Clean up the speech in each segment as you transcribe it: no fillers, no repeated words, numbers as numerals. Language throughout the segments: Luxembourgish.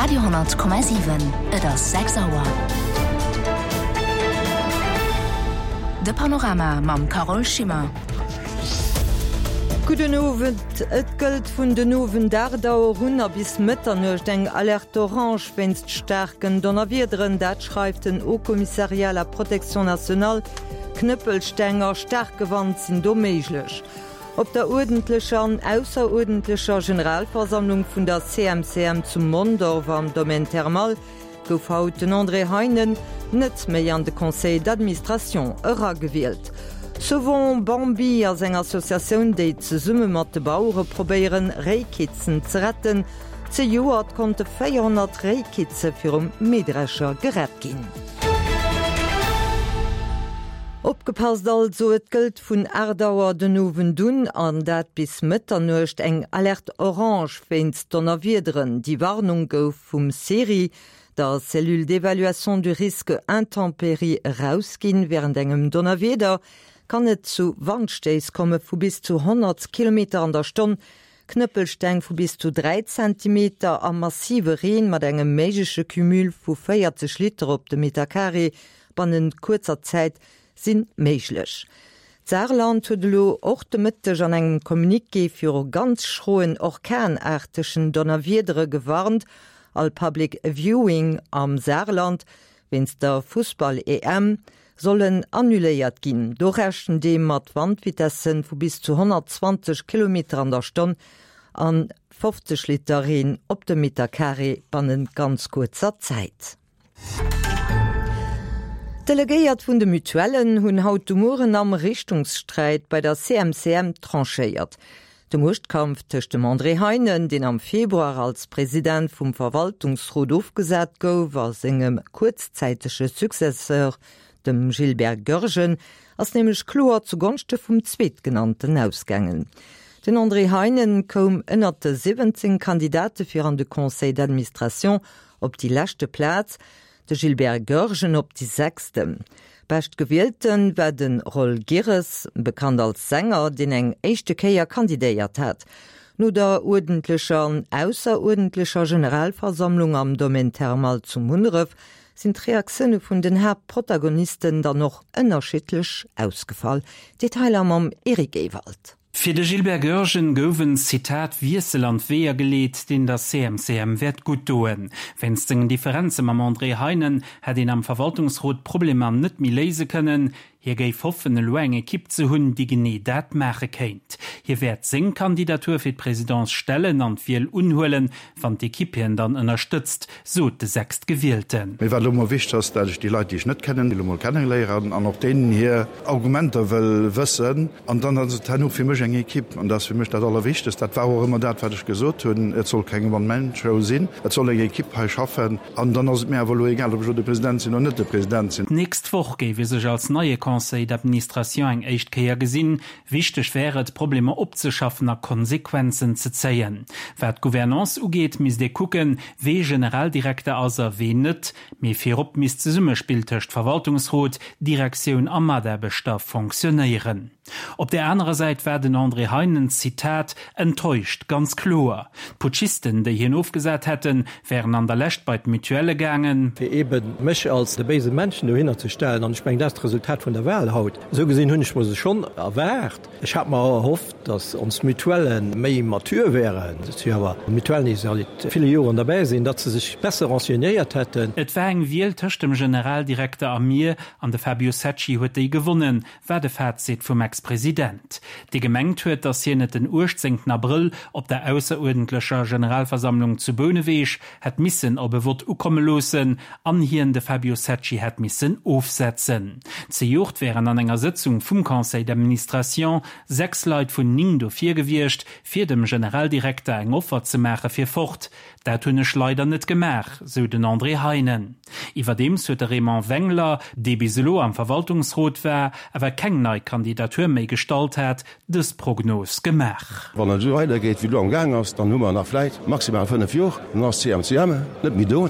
Radio,7 Et ass 6 Auer. De Panorama mam Carole Schimmer. Gudden Owend. Et gëllt vun den Owend 8 Auer un a bis Mëtternuecht eng Alerte orange wéinst staarken Donnerwiederen. Dat schreift den Haut Commissariat à la protection nationale. Knëppelsteng a staarke Wand sinn do méiglech. Op der uerdentlecher an ausseruerdentlecher Generalversammlung vun der CMCM zu Mondorf am Domaine Thermal gouf haut den André Heinen net méi an de Conseil d'administration eragewielt. Sauvons Bambi ass eng Associatioun, déi zesumme mat de Bauere probéieren, Réikitzen ze retten. Zejoert konnte 400 Réikitze virum Mähdrescher gerett ginn. Opgepasst also, et gëllt vun 8 Auer den Owend un, an dat bis Mëtternuecht, eng Alerte orange wéinst Donnerwiederen. Déi Warnung gouf vum CERI, der Cellule d'évaluation du risque intempéries, erausginn. Wärend engem Donnerwieder kann et zu Wandstéiss komme vu bis zu 100 Kilometer an der Stonn, Knëppelsteng vu bis zu 3 Zentimeter a massive Reen mat engem méigleche Cumul vu 40 Liter op de Meterkaree bannent kuerzer Zäit si méiglech. D'Saarland huet elo och de Mëtteg an engem Communiqué viru ganz schroen orkanaartegen Donnerwiedere gewarnt. All Public Viewing am Saarland wéinst der Fussball-EM sollen annuléiert ginn. Do rechent ee mat Wandvitesse vu bis zu 120 Kilometer an der Stonn a 50 Liter Reen op de Meterkaree bannent ganz kuerzer Zäit. D'Delegéiert vun de Mutuellen hunn haut de Mueren am Richtungssträit bei der CMCM tranchéiert. De Muechtkampf tëscht dem André Heinen, deen am Februar als President vum Verwaltungsrot ofgesat gouf, a sengem kuerzzäitege Successeur, dem Gilbert Goergen, ass nämlech kloer zu Gonschte vum Zweetgenannten ausgaangen. Den André Heinen koum ënnert de 17 Kandidate fir an de Conseil d'administration op déi leschte Plaz, de Gilbert Goergen op déi sechste. Beschtgewielte war de Roll Girres, bekannt als Sänger, deen eng éischte Kéier kandidéiert hat. No der uerdentlecher an ausseruerdentlecher Generalversammlung am Domaine Thermal zu Munneref sinn d'Reaktioune vun den Haaptprotagonisten dann och ënnerschiddlech ausgefall. Detailer mam Eric Ewald. Fir de Gilbert Goergen gouf en, Zitat, Wiessel an d'Weeër geleet, deen der CMCM wäert gutt doen. Wéinst sengen Differenze mam André Heinen hätt een am Verwaltungsrot d'Problemer net méi léise kënnen. Hie géif hoffen, elo eng Ekipp ze hunn, déi genee dat maache kéint. Hie wäert seng Kandidatur fir d'Presidence stellen an d'Wiel unhuelen, wann d'Ekipp hien dann ënnerstëtzt, sot de Sechstgewielten. Mee wat elo mol wichteg ass, dat ech déi Leit, déi ech net kennen, elo mol kenneléieren an och deenen hir Argumenter wëll wëssen. An dann ass et herno fir mech eng Equipe, an dat ass fir mech dat Allerwichtegst. Dat war och ëmmer dat, wat ech gesot hunn, Et soll keng One-Man-Show sinn, et soll eng Equipe hei schaffen. An dann ass et mir awer elo egal, ob ech elo de President sinn oder net de President sinn. D'nächst Woch géif ee sech als neie Conseil d'administration eng éischt Kéier gesinn. Wichteg wär et, Problemer opzeschaffen a Konsequenzen ze zéien. Wat d'Gouvernance ugeet, misst ee kucken, wee Generaldirekter ass a wee net. Mee virop misst d'Zesummespill tëscht Verwaltungsrot, Direktioun a Mataarbechter fonctionnéieren. Op där anerer Säit war den André Heinen, Zitat, enttäuscht, ganz kloer. D'Putschisten, déi hien ofgesat hätten, wären an der Lescht bei d'Mutuelle gaangen. Fir eebe mech als de béise Männchen dohinner ze stellen. An ech mengen, dat ass d'Resultat vun der Wahl haut. Esou gesinn hunn ech mer se schonn erwaart. Ech hat mer erhofft, datt ons Mutuellë méi mature wären, dat si jo awer Mutuellen, déi säit ville Joren derbäi sinn, datt se sech besser renseignéiert hätten. Et war eng Wiel tëscht dem Generaldirekter a mir, an de Fabio Secci huet déi gewonnen, war de Fazit vum Ex-President, dee gemengt huet, datt hien et den 18 Abrëll op der ausseruerdentlecher Generalversammlung zu Bouneweg hätt missen op e Vott ukomme loossen an hien de Fabio Secci hätt missen ofsetzen. Zejoert wären an enger Sëtzung vum Conseil d'administration 6 Leit vun 9 dofir gewiescht, fir dem Generaldirekter eng Offer ze maache fir fort. Dat hunn ech leider net gemaach, sou den André Heinen. Iwwerdeems huet de Raymond Wengler, dee bis elo am Verwaltungsrot war, awer keng nei Kandidatur méi gestallt hat, dës Prognos gemaach. Wann et esou weidergeet, wéi et elo am Gaang ass, dann hu mer nach vläit maximal 5 Jor, dann ass d'CMCM net méi do.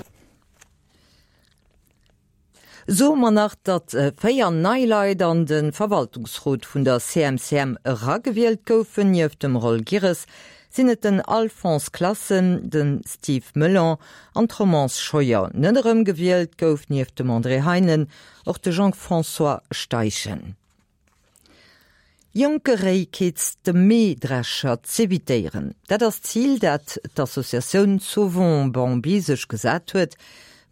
Soe mer nach, datt 4 nei Leit an de Verwaltungsrot vun der CMCM eragewielt goufen. Nieft dem Roll Girres sinn et den Alphonse Classen, de Steve Melon an d'Romance Scheuer. Net erëmgewielt gouf nieft dem André Heinen och de Jean-François Steichen. Jonke Réikitz de Mähdrescher z'evitéieren, dat ass d'Zil, dat d'Associatioun Sauvons Bambi sech gesat huet.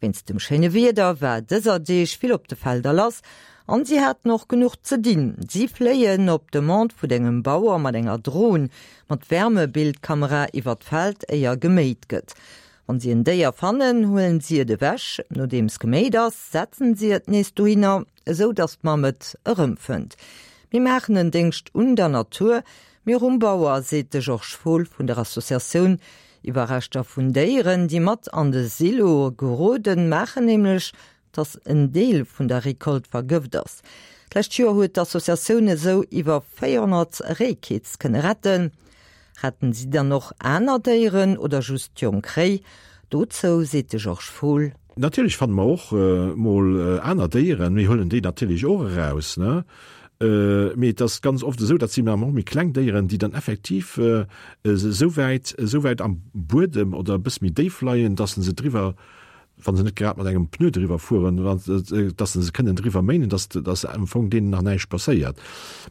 Wéinst dem schéine Wieder war dëser Deeg vill op de Felder lass an si haten och genuch ze dinn. Si fléien op Demande vun engem Bauer mat enger Dron mat Wärmebildkamera iwwer d'Feld éier geméit gëtt. Wann si en Déier fannen, huelen si et ewech. Nodeems geméit ass, setzen si et nees dohinner. Esou datt d'Mamm et erëmfënnt. Mir maachen en Déngscht un der Natur, mee och um Bauer, seet de Georges Fohl vun der Associatioun. Iwwerreschter vun Déieren, déi mat an de Silo geroden, maachen nämlech, datt en Deel vun der Recolte vergëft ass. D'lescht Joer huet d'Associatioun esou iwwer 400 Réikiz kënne retten. Retten si dann och aner Déieren oder just jonk Réi? Dozou seet de Georges Fohl. Natierlech fanne mer och mol aner Déieren, mir huelen déi natierlech och eraus, ne? Mee et ass ganz oft esou, dat sinn awer och méi kleng Déieren, déi dann effektiv esou wäit, esou wäit am Buedem oder e bësse méi déif leien, dass se driwwer wa se net grad mat engem Pneu driwwer fueren, dass se se kënnen driwwer méinen, dass, dass am Fong deenen nach näischt passéiert.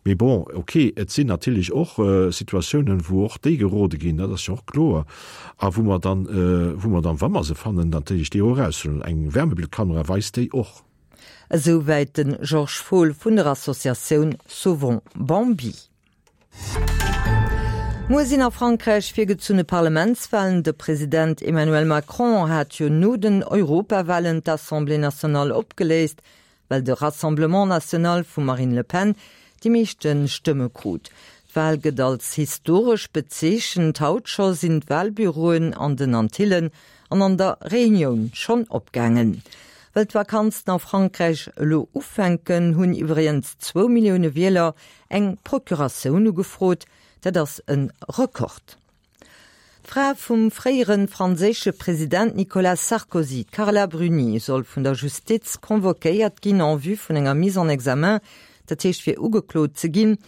Mee bon, okay, et sinn natierlech och Situatiounen, wou och déi gerode ginn, dat ass jo och kloer, a wou mer dann, wou mer dann, wa mer se fannen, natierlech déi och eraushuelen. Eng Wärmebildkamera weist déi och. Esouwäit de Georges Fohl vun der Associatioun Sauvons Bambi. Muer sinn a Frankräich virgezunne Parlamentswalen. De President Emmanuel Macron hat jo no den Europawalen d'Assemblée nationale opgeléist, well de Rassemblement national vum Marine Le Pen déi meeschte Stëmme krut. D'Wal gëtt als historesch bezeechent. Haut scho sinn d'Walbüroen an den Antillen an an der Reunioun schonn opgaangen. Well d'Vakanzen a Frankräich elo ufänken, hunn iwwregens zwou Millioune Wieler Eng Procuratioun ugefrot, dat ass e Rekord. D'Fra vum fréiere franséische President Nicolas Sarkozy, d'Carla Bruni, soll vun der Justiz convoquéiert ginn en vue vun enger Mise en examen, dat heescht fir ugeklot ze ginn.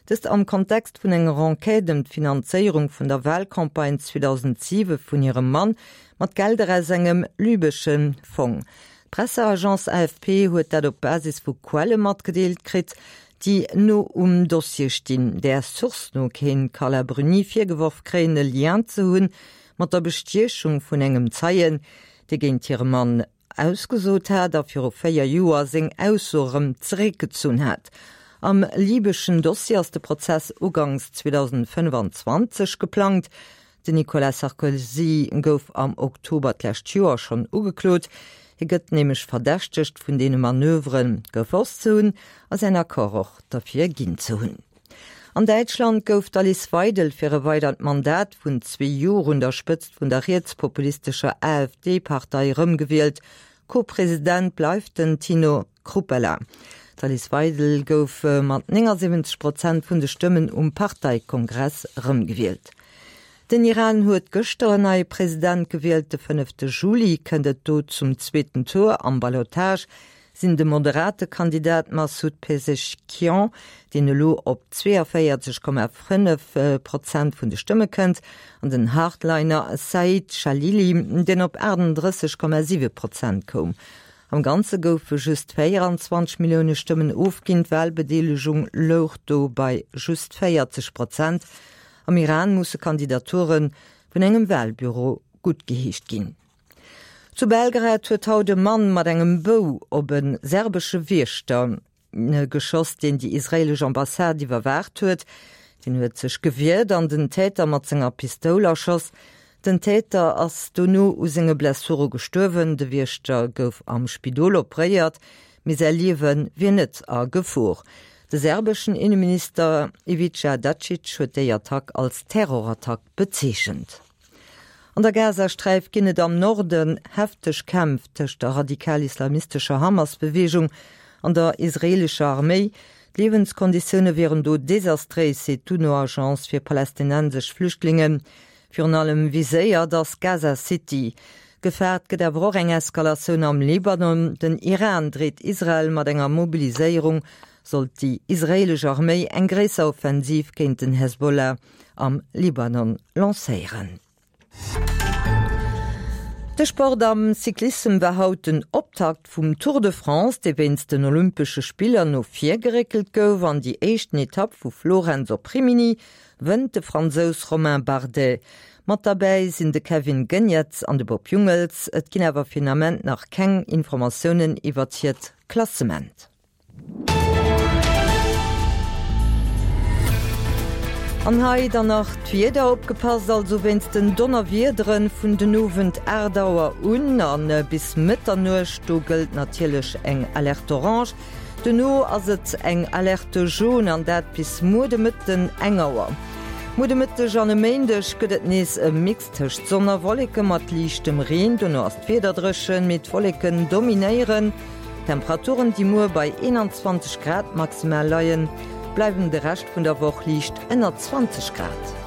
Dëst am Kontext vun enger Enquête ëm d'Finanzéierung vun der Walcampagne 2007 vun hirem Mann mat Gelder aus engem lybesche Fong. D'Presseagence AFP huet dat op Basis vu Quelle matgedeelt kritt, déi no um Dossier stinn. Där Source no kéint d'Carla Bruni virgeworf kréien, e Lien ze hunn mat der Bestiechung vun engem Zeien, dee géint hire Mann ausgesot hat a viru 4 Joer seng Ausso erëm zeréckgezunn hat. Am libeschen Dossier ass de Prozess uganks 2025 geplangt. Den Nicolas Sarkozy gouf am Oktober d'lescht Joer schonn ugeklot. Hie gëtt nämlech verdächtegt, vun deene Manövere gewosst ze hunn a säin Accord och derfir ginn ze hunn. An Däitschland gouf d'Alice Weidel fir e weidert Mandat vun zwee Jor un der Spëtzt vun der rietspopulistescher AfD-Partei erëmgewielt. Co-President bleift den Tino Chrupalla. D'Alice Weidel gouf mat 79 Prozent vun de Stëmmen um Parteikongress erëmgewielt. Den Iran huet gëschter en neie President gewielt. De fënnefte Juli kënnt et do zum zweeten Tour. Am Ballotage sinn de moderate Kandidat Massoud Pezeshkian, deen elo op 42,5 Prozent vun de Stëmme kënnt, an den Hardliner Saeed Jalili, deen op 38,7 Prozent koum. Am Ganze goufe just 24 Millioune Stëmmen ofginn, d'Walbedeelegung louch do bei just 40 Prozent. Am Iran musse Kandidature vun engem Walbüro guttgeheescht ginn. Zu Belgrad huet haut e Mann mat engem Bou op e serbesche Wiechter geschoss, deen déi israeelesch Ambassade iwwerwaacht huet. Deen huet sech gewiert an den Täter mat senger Pistoul erschoss. Den Täter ass dono u senge Blessure gestuerwen. De Wiechter gouf am Spidol opréiert, mee säi Liewe wier net a Gefor. De serbeschen Inneminister Ivica Dacic huet déi Attack als Terrorattack bezeechent. An der Gazasträif ginn et am Norden hefteg Kämpf tëscht der radikal-islamistescher Hamas-Beweegung an der israeelescher Arméi. D'Liewenskonditioune wieren do desastréis, seet d'UNO-Agence fir palästinensesch Flüchtlingen. Virun allem viséiert ass Gaza City. Gefaart gëtt awer och eng Eskalatioun am Libanon. Den Iran dreet Israel mat enger Mobiliséierung, sollt déi israeelesch Arméi eng gréisser Offensiv géint den Hezbollah. am Libanon lancéieren. De Sport am Cyclissem war haut den Optakt vum Tour de France, dee wéinst den Olympesche Spiller no vir geréckelt gouf. An déi éischten Etapp vu Florenz op Rimini wënnt de Fransous Romain Bardet. Mat derbäi sinn de Kevin Geniets an de Bob Jungels. Et ginn awer fir den Ament nach keng Informatiounen iwwert hiert Klassement. An hei dann nach d'Wieder, Opgepasst also wéinst den Donnerwiederen vun den Owend 8 Auer un an bis Mëtternuecht, do gëllt natierlech eng Alerte orange. Dono ass et eng Alerte jaune an dat bis muer de Mëtten eng Auer. Muer de Mëtteg an e Méindeg gëtt et nees e Mix tëscht Sonn a Wolleke mat liichtem Reen. Dono ass d'Wieder dréchen, mee d'Wolleken dominéieren. D'Temperaturen, déi muer bei 21 Grad maximal leien, bleiwen de Rescht vun der Woch liicht ënner 20 Grad.